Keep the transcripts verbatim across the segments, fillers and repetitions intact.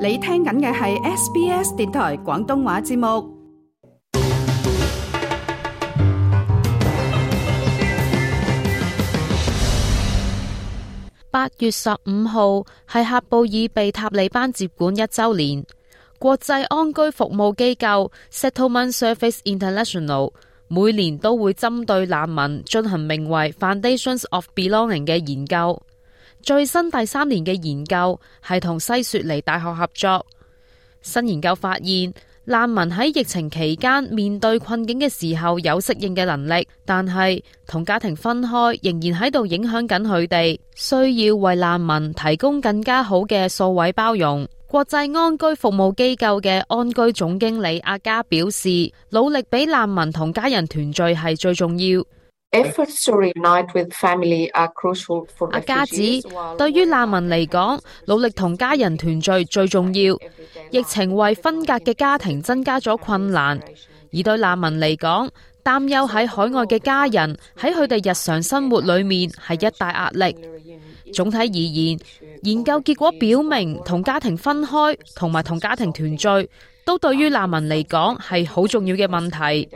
你聽緊嘅係 S B S 電台廣東話節目。八月十五號係喀布爾被塔利班接管一周年。國際安居服務機構 Settlement Service International 每年都會針對難民進行名為 Foundations of Belonging 嘅研究。最新第三年嘅研究係同西雪梨大學合作。新研究發現，難民喺疫情期間面對困境嘅時候有適應嘅能力，但係同家庭分開仍然喺度影響緊佢哋，需要為難民提供更加好嘅數位包容。國際安居服務機構嘅安居總經理阿嘉表示，努力俾難民同家人團聚係最重要。阿嘉指，對於難民嚟講，努力同家人團聚最重要。疫情為分隔嘅家庭增加咗困難，而對難民嚟講，擔憂喺海外嘅家人喺佢哋日常生活裏面係一大壓力。總體而言，研究結果表明，同家庭分開同埋同家庭團聚都對於難民嚟講係好重要嘅問題。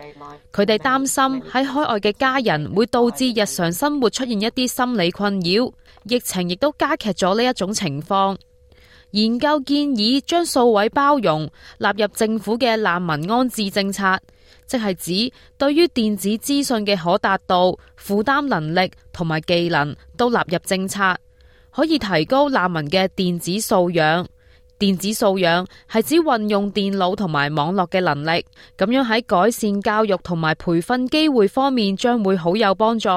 佢哋擔心喺海外嘅家人會導致日常生活出現一啲心理困擾，疫情亦都加劇咗呢一種情況。研究建議將數位包容納入政府嘅難民安置政策，即係指對於電子資訊嘅可達度、負擔能力同埋技能都納入政策，可以提高難民嘅電子素養。電子素養係指運用電腦同埋網絡嘅能力，咁樣喺改善教育同埋培訓機會方面將會好有幫助，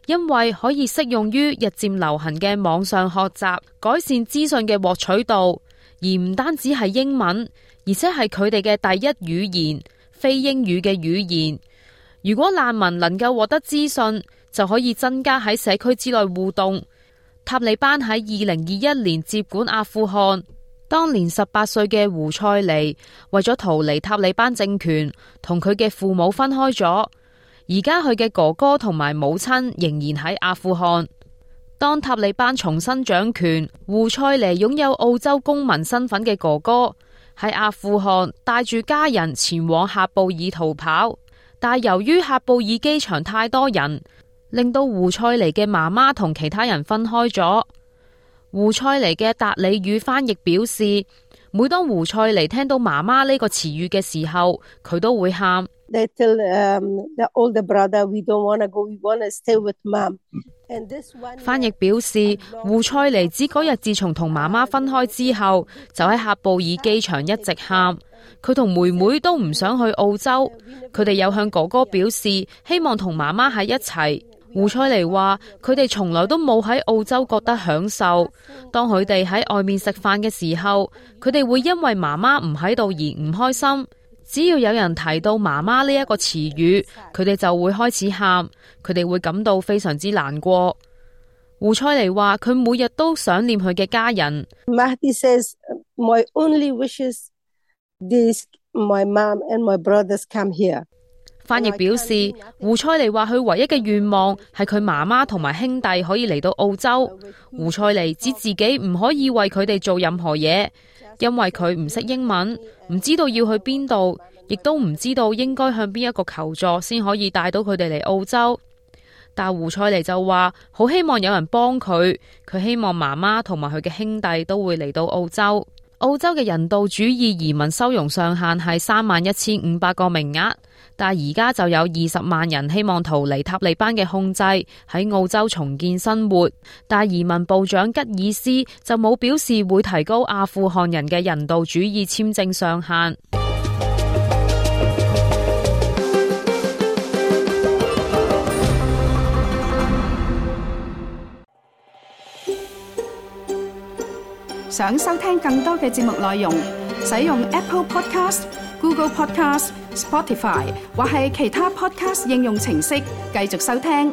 因為可以適用於日漸流行嘅網上學習，改善資訊嘅獲取度，而唔單止係英文，而且係佢哋嘅第一語言，非英語嘅語言。如果難民能夠獲得資訊，就可以增加喺社區之內互動。塔利班喺二零二一年接管阿富汗。當年十八歲嘅胡塞尼為咗逃離塔利班政權，同佢嘅父母分開咗。而家佢嘅哥哥同埋母親仍然喺阿富汗。當塔利班重新掌權，胡塞尼擁有澳洲公民身份嘅哥哥喺阿富汗帶住家人前往喀布爾逃跑，但係由於喀布爾機場太多人，令到胡塞尼嘅媽媽同其他人分開咗。胡塞尼嘅達里語翻譯表示，每當胡塞尼聽到媽媽呢個詞語嘅時候，佢都會喊。翻譯表示，胡塞尼指嗰日自從同媽媽分開之後，就喺喀布爾機場一直喊。佢同妹妹都唔想去澳洲，佢哋有向哥哥表示希望同媽媽喺一齊。胡塞尼話佢哋從來都冇喺澳洲覺得享受，當佢哋喺外面食飯嘅時候，佢哋會因為媽媽唔喺度而唔開心。只要有人提到媽媽呢一個詞語，佢哋就會開始喊，佢哋會感到非常之難過。胡塞尼話佢每日都想念佢嘅家人。Mahdi says, my only wishes is my mom and my brothers come here。翻譯表示，胡塞尼話佢唯一嘅願望係佢媽媽同埋兄弟可以嚟到澳洲。胡塞尼指自己唔可以為佢哋做任何嘢，因為佢唔識英文，唔知道要去邊度，亦都唔知道應該向邊一個求助先可以帶到佢哋嚟澳洲。但胡塞尼就話好希望有人幫佢，佢希望媽媽同埋佢嘅兄弟都會嚟到澳洲。澳洲嘅人道主義移民收容上限係三萬一千五百個名額，但而家就有二十萬人希望逃離塔利班嘅控制，喺澳洲重建生活。但移民部長吉爾斯就冇表示會提高阿富汗人嘅人道主義簽證上限。想收聽更多嘅節目內容，使用 Apple Podcast、Google Podcast、Spotify 或係其他 Podcast 應用程式繼續收聽。